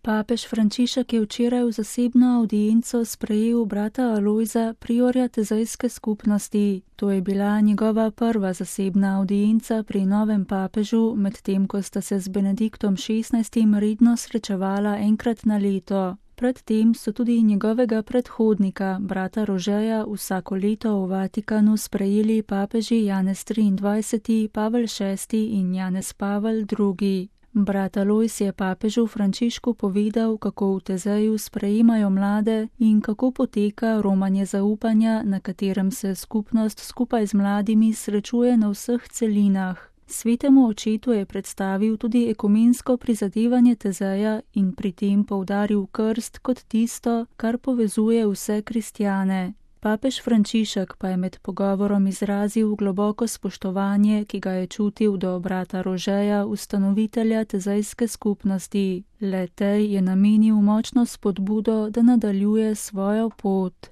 Papež Frančišek je včeraj v zasebno avdienco sprejel brata Alojza, priorja tezejske skupnosti. To je bila njegova prva zasebna avdienca pri novem papežu, medtem ko sta se z Benediktom XVI. Redno srečevala enkrat na leto. Predtem so tudi njegovega predhodnika, brata Rožeja, vsako leto v Vatikanu sprejeli papeži Janez XXIII., Pavel VI. In Janez Pavel II. Brat Alojz je papežu Frančišku povedal, kako v Tezeju sprejemajo mlade in kako poteka romanje zaupanja, na katerem se skupnost skupaj z mladimi srečuje na vseh celinah. Svetemu očetu je predstavil tudi ekumensko prizadevanje Tezeja in pri tem poudaril krst kot tisto, kar povezuje vse kristjane. Papež Frančišek pa je med pogovorom izrazil globoko spoštovanje, ki ga je čutil do brata Rožeja, ustanovitelja tezejske skupnosti. Le tej je namenil močno spodbudo, da nadaljuje svojo pot.